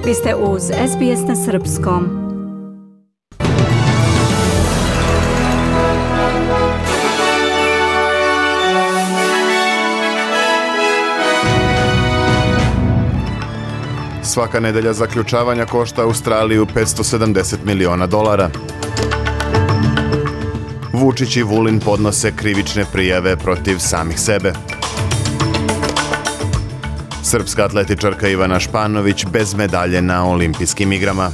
Vi ste uz SBS na srpskom. Svaka nedelja zaključavanja košta Australiju $570 miliona. Vučić i Vulin podnose krivične prijave protiv samih sebe. Srpska atletičarka Ivana Španović bez medalje na olimpijskim igrama.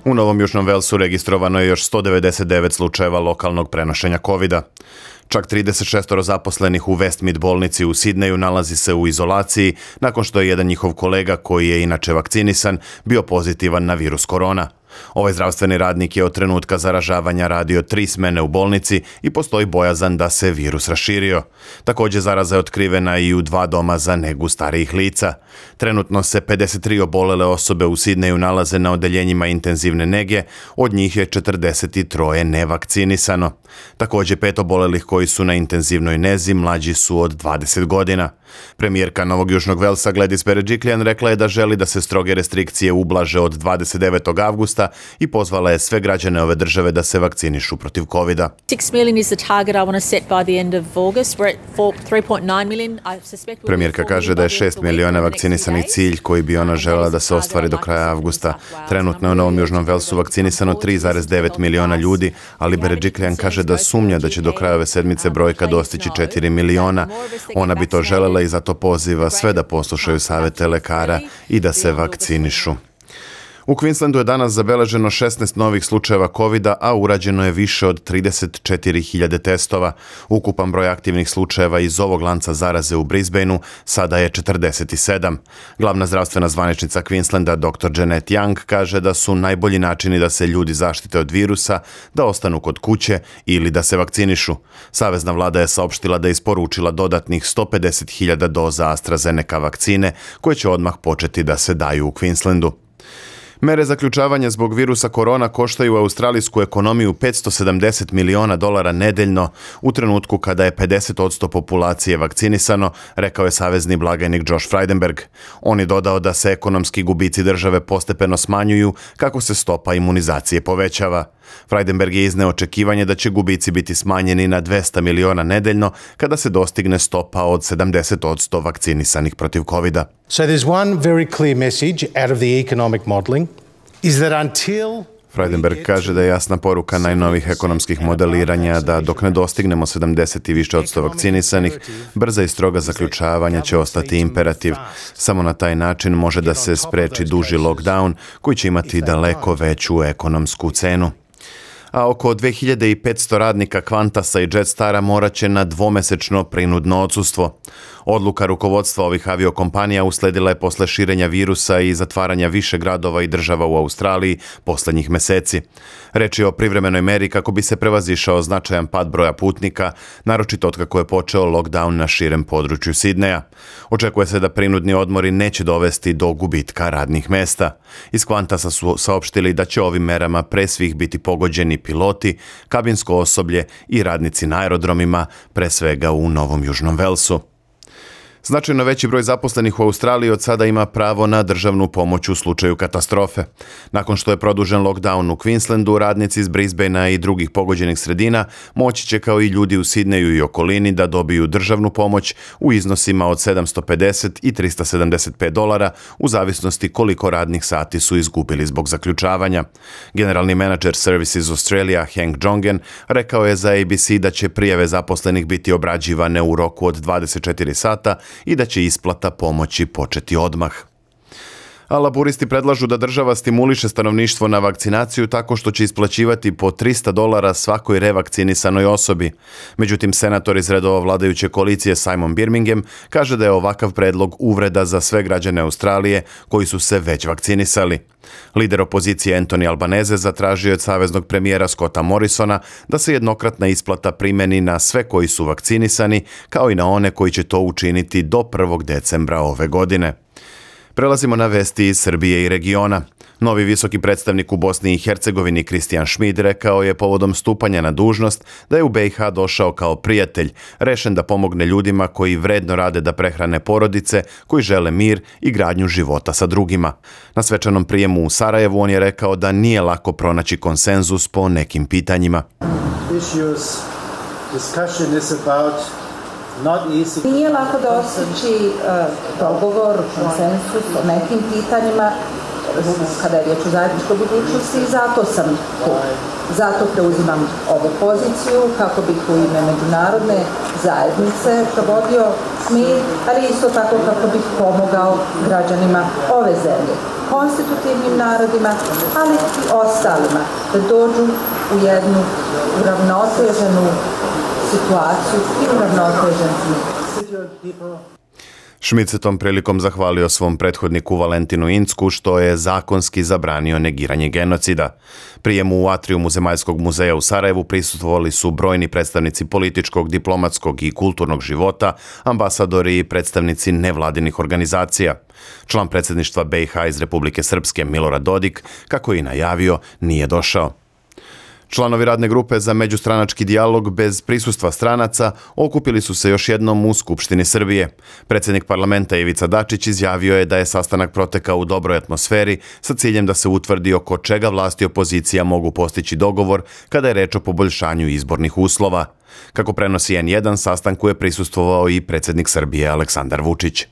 U Novom Južnom Velsu registrovano je još 199 slučajeva lokalnog prenošenja COVID-a. Čak 36 zaposlenih u Westmead bolnici u Sidneju nalazi se u izolaciji nakon što je jedan njihov kolega, koji je inače vakcinisan, bio pozitivan na virus korona. Ovaj zdravstveni radnik je od trenutka zaražavanja radio 3 smene u bolnici i postoji bojazan da se virus raširio. Također zaraza je otkrivena i u 2 doma za negu starijih lica. Trenutno se 53 obolele osobe u Sidneju nalaze na odeljenjima intenzivne nege, od njih je 43 nevakcinisano. Također 5 obolelih koji su na intenzivnoj nezi mlađi su od 20 godina. Premijerka Novog Južnog Velsa Gladys Berejiklian rekla je da želi da se stroge restrikcije ublaže od 29. avgusta i pozvala je sve građane ove države da se vakcinišu protiv COVID-a. 6 million is the target I want to set by the end of August. We're at 3.9 million. Premijerka kaže da je 6 miliona vakcinisanih cilj koji bi ona željela da se ostvari do kraja avgusta. Trenutno je u Novom Južnom Velsu vakcinisano 3,9 miliona ljudi, ali Berejiklian kaže da sumnja da će do kraja ove sedmice brojka dostići 4 miliona. Ona bi to željela i zato poziva sve da poslušaju savjete lekara i da se vakcinišu. U Queenslandu je danas zabeleženo 16 novih slučajeva COVID-a, a urađeno je više od 34.000 testova. Ukupan broj aktivnih slučajeva iz ovog lanca zaraze u Brisbaneu sada je 47. Glavna zdravstvena zvaničnica Queenslanda dr. Janet Young kaže da su najbolji načini da se ljudi zaštite od virusa da ostanu kod kuće ili da se vakcinišu. Savezna vlada je saopštila da je isporučila dodatnih 150.000 doza AstraZeneca vakcine koje će odmah početi da se daju u Queenslandu. Mere zaključavanja zbog virusa korona koštaju australijsku ekonomiju $570 miliona nedeljno u trenutku kada je 50% populacije vakcinisano, rekao je savezni blagajnik Josh Frydenberg. On je dodao da se ekonomski gubici države postepeno smanjuju kako se stopa imunizacije povećava. Frydenberg je izneo očekivanje da će gubici biti smanjeni na 200 miliona nedeljno kada se dostigne stopa od 70% vakcinisanih protiv COVID-a. So there's one very clear message out of the economic modelling is that until Frydenberg kaže da je jasna poruka najnovih ekonomskih modeliranja da dok ne dostignemo 70 i više od 100 vakcinisanih, brza i stroga zaključavanja će ostati imperativ. Samo na taj način može da se spreči duži lockdown koji će imati daleko veću ekonomsku cenu. A oko 2500 radnika Qantasa i Jetstara morat će na dvomesečno prinudno odsustvo. Odluka rukovodstva ovih aviokompanija usledila je posle širenja virusa i zatvaranja više gradova i država u Australiji posljednjih meseci. Reč je o privremenoj meri kako bi se prevazišao značajan pad broja putnika, naročito otkako je počeo lockdown na širem području Sidneja. Očekuje se da prinudni odmori neće dovesti do gubitka radnih mesta. Iz Qantasa su saopštili da će ovim merama pre svih biti pogođeni piloti, kabinsko osoblje i radnici na aerodromima, pre svega u Novom Južnom Velsu. Značajno veći broj zaposlenih u Australiji od sada ima pravo na državnu pomoć u slučaju katastrofe. Nakon što je produžen lockdown u Queenslandu, radnici iz Brisbanea i drugih pogođenih sredina moći će kao i ljudi u Sidneju i okolini da dobiju državnu pomoć u iznosima od $750 i $375 u zavisnosti koliko radnih sati su izgubili zbog zaključavanja. Generalni menadžer Services Australia Hank Jongen rekao je za ABC da će prijave zaposlenih biti obrađivane u roku od 24 sata i da će isplata pomoći početi odmah. A laburisti predlažu da država stimuliše stanovništvo na vakcinaciju tako što će isplaćivati po $300 svakoj revakcinisanoj osobi. Međutim, senator iz redova vladajuće koalicije Simon Birmingham kaže da je ovakav predlog uvreda za sve građane Australije koji su se već vakcinisali. Lider opozicije Anthony Albanese zatražio je od saveznog premijera Scotta Morrisona da se jednokratna isplata primeni na sve koji su vakcinisani, kao i na one koji će to učiniti do 1. decembra ove godine. Prelazimo na vesti iz Srbije i regiona. Novi visoki predstavnik u Bosni i Hercegovini Kristijan Šmid rekao je povodom stupanja na dužnost da je u BiH došao kao prijatelj, rešen da pomogne ljudima koji vredno rade da prehrane porodice, koji žele mir i gradnju života sa drugima. Na svečanom prijemu u Sarajevu on je rekao da nije lako pronaći konsenzus po nekim pitanjima. Nije lako dostići dogovor, konsensus o nekim pitanjima kada je riječ o zajedničkoj budućnosti i zato sam tu. Zato preuzimam ovu poziciju kako bih u ime međunarodne zajednice provodio mir, ali isto tako kako bih pomogao građanima ove zemlje, konstitutivnim narodima, ali i ostalima da dođu u jednu uravnoteženu situaciju i uravnotežen mir. Šmid se tom prilikom zahvalio svom prethodniku Valentinu Incku što je zakonski zabranio negiranje genocida. Prijemu u atrijumu Zemaljskog muzeja u Sarajevu prisustvovali su brojni predstavnici političkog, diplomatskog i kulturnog života, ambasadori i predstavnici nevladinih organizacija. Član predsjedništva BiH iz Republike Srpske Milorad Dodik, kako je i najavio, nije došao. Članovi radne grupe za međustranački dijalog bez prisustva stranaca okupili su se još jednom u Skupštini Srbije. Predsjednik parlamenta Ivica Dačić izjavio je da je sastanak protekao u dobroj atmosferi sa ciljem da se utvrdi oko čega vlast i opozicija mogu postići dogovor kada je reč o poboljšanju izbornih uslova. Kako prenosi N1, sastanku je prisustvovao i predsjednik Srbije Aleksandar Vučić.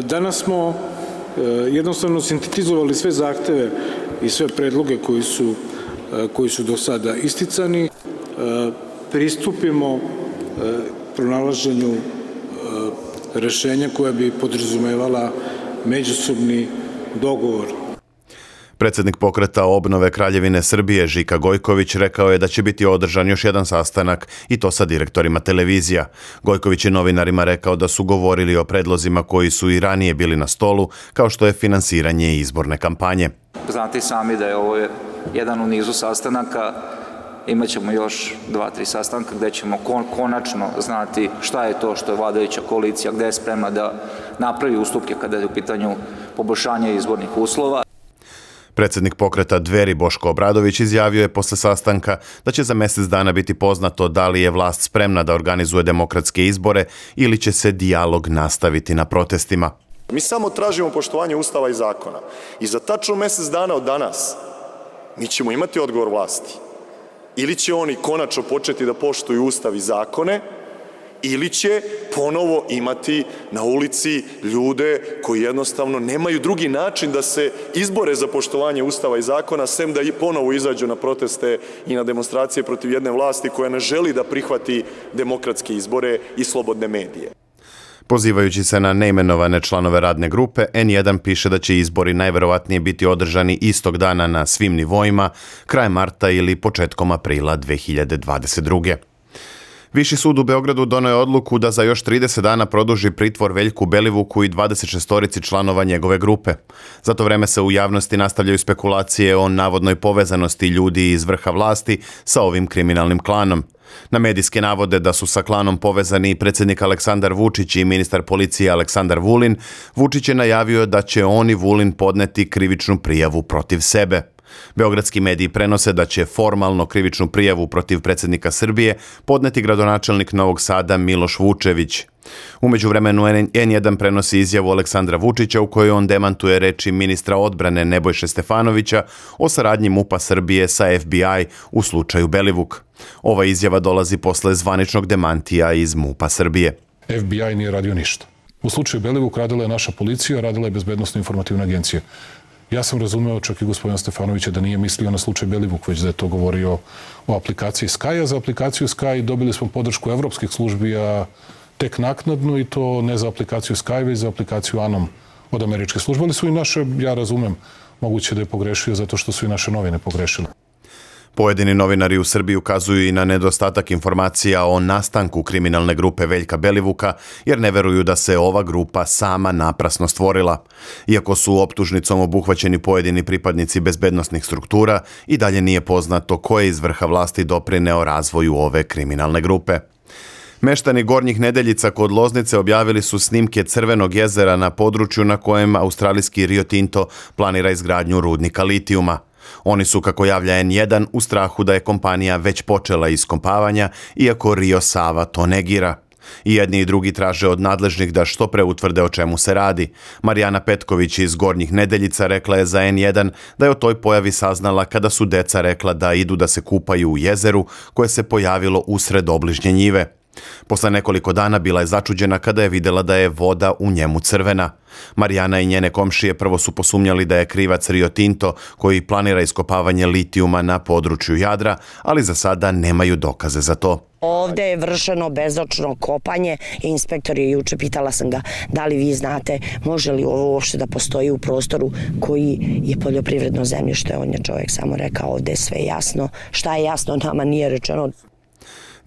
Danas smo jednostavno sintetizovali sve zahteve i sve predloge koji su do sada isticani, pristupimo pronalaženju rešenja koja bi podrazumevala međusobni dogovor. Predsjednik pokreta obnove Kraljevine Srbije Žika Gojković rekao je da će biti održan još jedan sastanak i to sa direktorima televizija. Gojković je novinarima rekao da su govorili o predlozima koji su i ranije bili na stolu, kao što je finansiranje izborne kampanje. Znate sami da je ovo jedan u nizu sastanaka, imat ćemo još 2-3 sastanka gdje ćemo konačno znati šta je to što je vladajuća koalicija, gdje je spremna da napravi ustupke kada je u pitanju poboljšanja izbornih uslova. Predsjednik pokreta Dveri Boško Obradović izjavio je posle sastanka da će za mjesec dana biti poznato da li je vlast spremna da organizuje demokratske izbore ili će se dijalog nastaviti na protestima. Mi samo tražimo poštovanje Ustava i zakona i za tačno mjesec dana od danas mi ćemo imati odgovor vlasti. Ili će oni konačno početi da poštuju Ustav i zakone, ili će ponovo imati na ulici ljude koji jednostavno nemaju drugi način da se izbore za poštovanje Ustava i zakona, sem da i ponovo izađu na proteste i na demonstracije protiv jedne vlasti koja ne želi da prihvati demokratske izbore i slobodne medije. Pozivajući se na neimenovane članove radne grupe, N1 piše da će izbori najverovatnije biti održani istog dana na svim nivoima, krajem marta ili početkom aprila 2022. Viši sud u Beogradu doneo je odluku da za još 30 dana produži pritvor Veljku Belivuku i 26 članova njegove grupe. Za to vreme se u javnosti nastavljaju spekulacije o navodnoj povezanosti ljudi iz vrha vlasti sa ovim kriminalnim klanom. Na medijske navode da su sa klanom povezani i predsjednik Aleksandar Vučić i ministar policije Aleksandar Vulin, Vučić je najavio da će on i Vulin podneti krivičnu prijavu protiv sebe. Beogradski mediji prenose da će formalno krivičnu prijavu protiv predsjednika Srbije podneti gradonačelnik Novog Sada Miloš Vučević. U međuvremenu N1 prenosi izjavu Aleksandra Vučića u kojoj on demantuje reči ministra odbrane Nebojše Stefanovića o saradnji MUP-a Srbije sa FBI u slučaju Belivuk. Ova izjava dolazi posle zvaničnog demantija iz MUP-a Srbije. FBI nije radio ništa. U slučaju Belivuk radila je naša policija, radila je Bezbednosno-informativna agencija. Ja sam razumeo čak i gospodina Stefanovića da nije mislio na slučaj Belivuk, već da je to govorio o aplikaciji Sky, a za aplikaciju Sky dobili smo podršku evropskih službi, a tek naknadno, i to ne za aplikaciju Sky, već za aplikaciju Anom od američke službe, ali su i naše, ja razumem, moguće da je pogrešio zato što su i naše novine pogrešile. Pojedini novinari u Srbiji ukazuju i na nedostatak informacija o nastanku kriminalne grupe Veljka Belivuka, jer ne veruju da se ova grupa sama naprasno stvorila. Iako su optužnicom obuhvaćeni pojedini pripadnici bezbednosnih struktura, i dalje nije poznato ko je iz vrha vlasti doprineo razvoju ove kriminalne grupe. Meštani Gornjih Nedeljica kod Loznice objavili su snimke Crvenog jezera na području na kojem australijski Rio Tinto planira izgradnju rudnika litijuma. Oni su, kako javlja N1, u strahu da je kompanija već počela iskompavanja, iako Rio Sava to negira. I jedni i drugi traže od nadležnih da što pre utvrde o čemu se radi. Marijana Petković iz Gornjih Nedeljica rekla je za N1 da je o toj pojavi saznala kada su deca rekla da idu da se kupaju u jezeru koje se pojavilo usred obližnje njive. Posle nekoliko dana bila je začuđena kada je videla da je voda u njemu crvena. Marijana i njene komšije prvo su posumnjali da je krivac Rio Tinto koji planira iskopavanje litijuma na području Jadra, ali za sada nemaju dokaze za to. Ovde je vršeno bezočno kopanje i inspektor je juče, pitala sam ga da li vi znate može li ovo uopšte da postoji u prostoru koji je poljoprivredno zemljište. On je čovjek samo rekao ovde je sve jasno. Šta je jasno nama nije rečeno.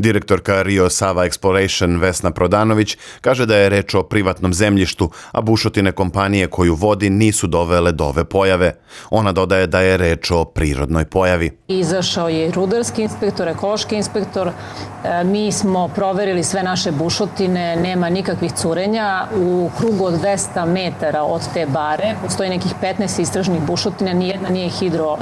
Direktorka Rio Sava Exploration Vesna Prodanović kaže da je reč o privatnom zemljištu, a bušotine kompanije koju vodi nisu dovele do ove pojave. Ona dodaje da je reč o prirodnoj pojavi. Izašao je rudarski inspektor, ekološki inspektor. Mi smo proverili sve naše bušotine, nema nikakvih curenja. U krugu od 200 metara od te bare postoji nekih 15 istražnih bušotina, nijedna nije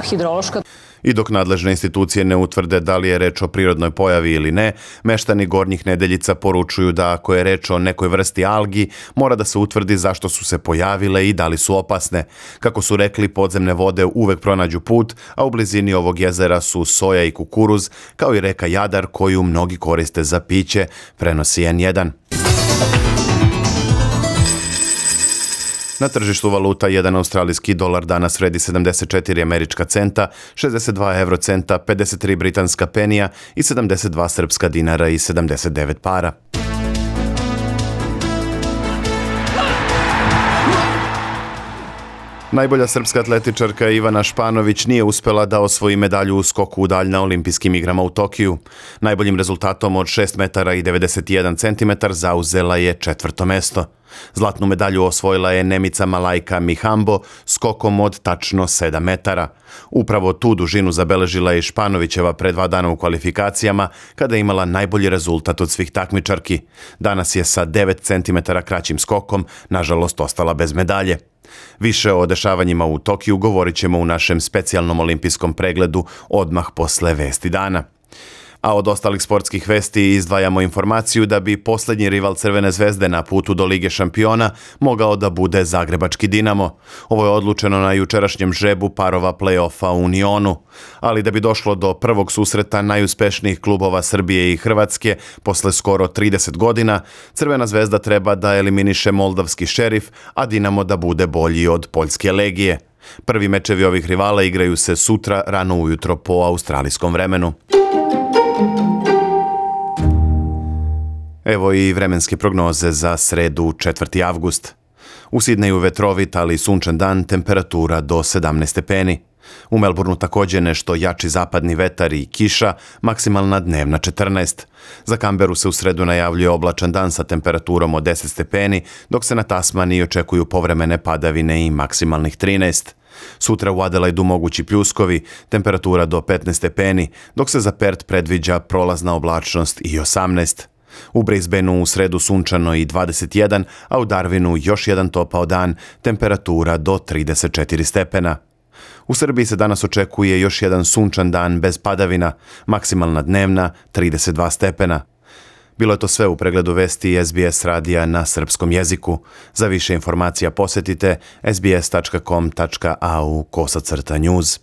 hidrološka. I dok nadležne institucije ne utvrde da li je reč o prirodnoj pojavi ili ne, meštani Gornjih Nedeljica poručuju da ako je reč o nekoj vrsti algi, mora da se utvrdi zašto su se pojavile i da li su opasne. Kako su rekli, podzemne vode uvek pronađu put, a u blizini ovog jezera su soja i kukuruz, kao i reka Jadar koju mnogi koriste za piće, prenosi N1. Na tržištu valuta jedan australijski dolar danas vredi 74 američka centa, 62 eurocenta, 53 britanska penija i 72 srpska dinara i 79 para. Najbolja srpska atletičarka Ivana Španović nije uspela da osvoji medalju u skoku u dalj na olimpijskim igrama u Tokiju. Najboljim rezultatom od 6 metara i 91 centimetar zauzela je 4. mesto. Zlatnu medalju osvojila je Nemica Malajka Mihambo skokom od tačno 7 metara. Upravo tu dužinu zabeležila je Španovićeva pre 2 dana u kvalifikacijama, kada je imala najbolji rezultat od svih takmičarki. Danas je sa 9 centimetara kraćim skokom, nažalost, ostala bez medalje. Više o dešavanjima u Tokiju govorit ćemo u našem specijalnom olimpijskom pregledu odmah posle vesti dana. A od ostalih sportskih vesti izdvajamo informaciju da bi posljednji rival Crvene zvezde na putu do Lige šampiona mogao da bude Zagrebački Dinamo. Ovo je odlučeno na jučerašnjem žrebu parova play-offa u Unionu. Ali da bi došlo do prvog susreta najuspešnijih klubova Srbije i Hrvatske posle skoro 30 godina, Crvena zvezda treba da eliminiše moldavski Šerif, a Dinamo da bude bolji od Poljske Legije. Prvi mečevi ovih rivala igraju se sutra rano ujutro po australijskom vremenu. Evo i vremenske prognoze za sredu 4. avgust. U Sidneju vetrovit, ali sunčan dan, temperatura do 17 stepeni. U Melbourneu također nešto jači zapadni vetar i kiša, maksimalna dnevna 14. Za Kamberu se u sredu najavljuje oblačan dan sa temperaturom od 10 stepeni, dok se na Tasmaniji očekuju povremene padavine i maksimalnih 13. Sutra u Adelaidu mogući pljuskovi, temperatura do 15 stepeni, dok se za Perth predviđa prolazna oblačnost i 18. U Brisbaneu u sredu sunčano i 21, a u Darwinu još jedan topao dan, temperatura do 34 stepena. U Srbiji se danas očekuje još jedan sunčan dan bez padavina, maksimalna dnevna 32 stepena. Bilo je to sve u pregledu vesti SBS radija na srpskom jeziku. Za više informacija posjetite sbs.com.au/news.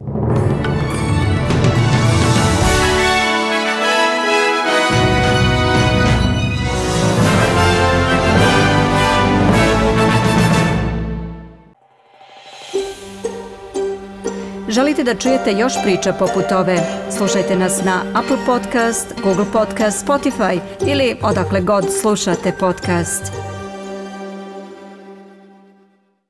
Želite da čujete još priča poput ove? Slušajte nas na Apple Podcast, Google Podcast, Spotify ili odakle god slušate podcast.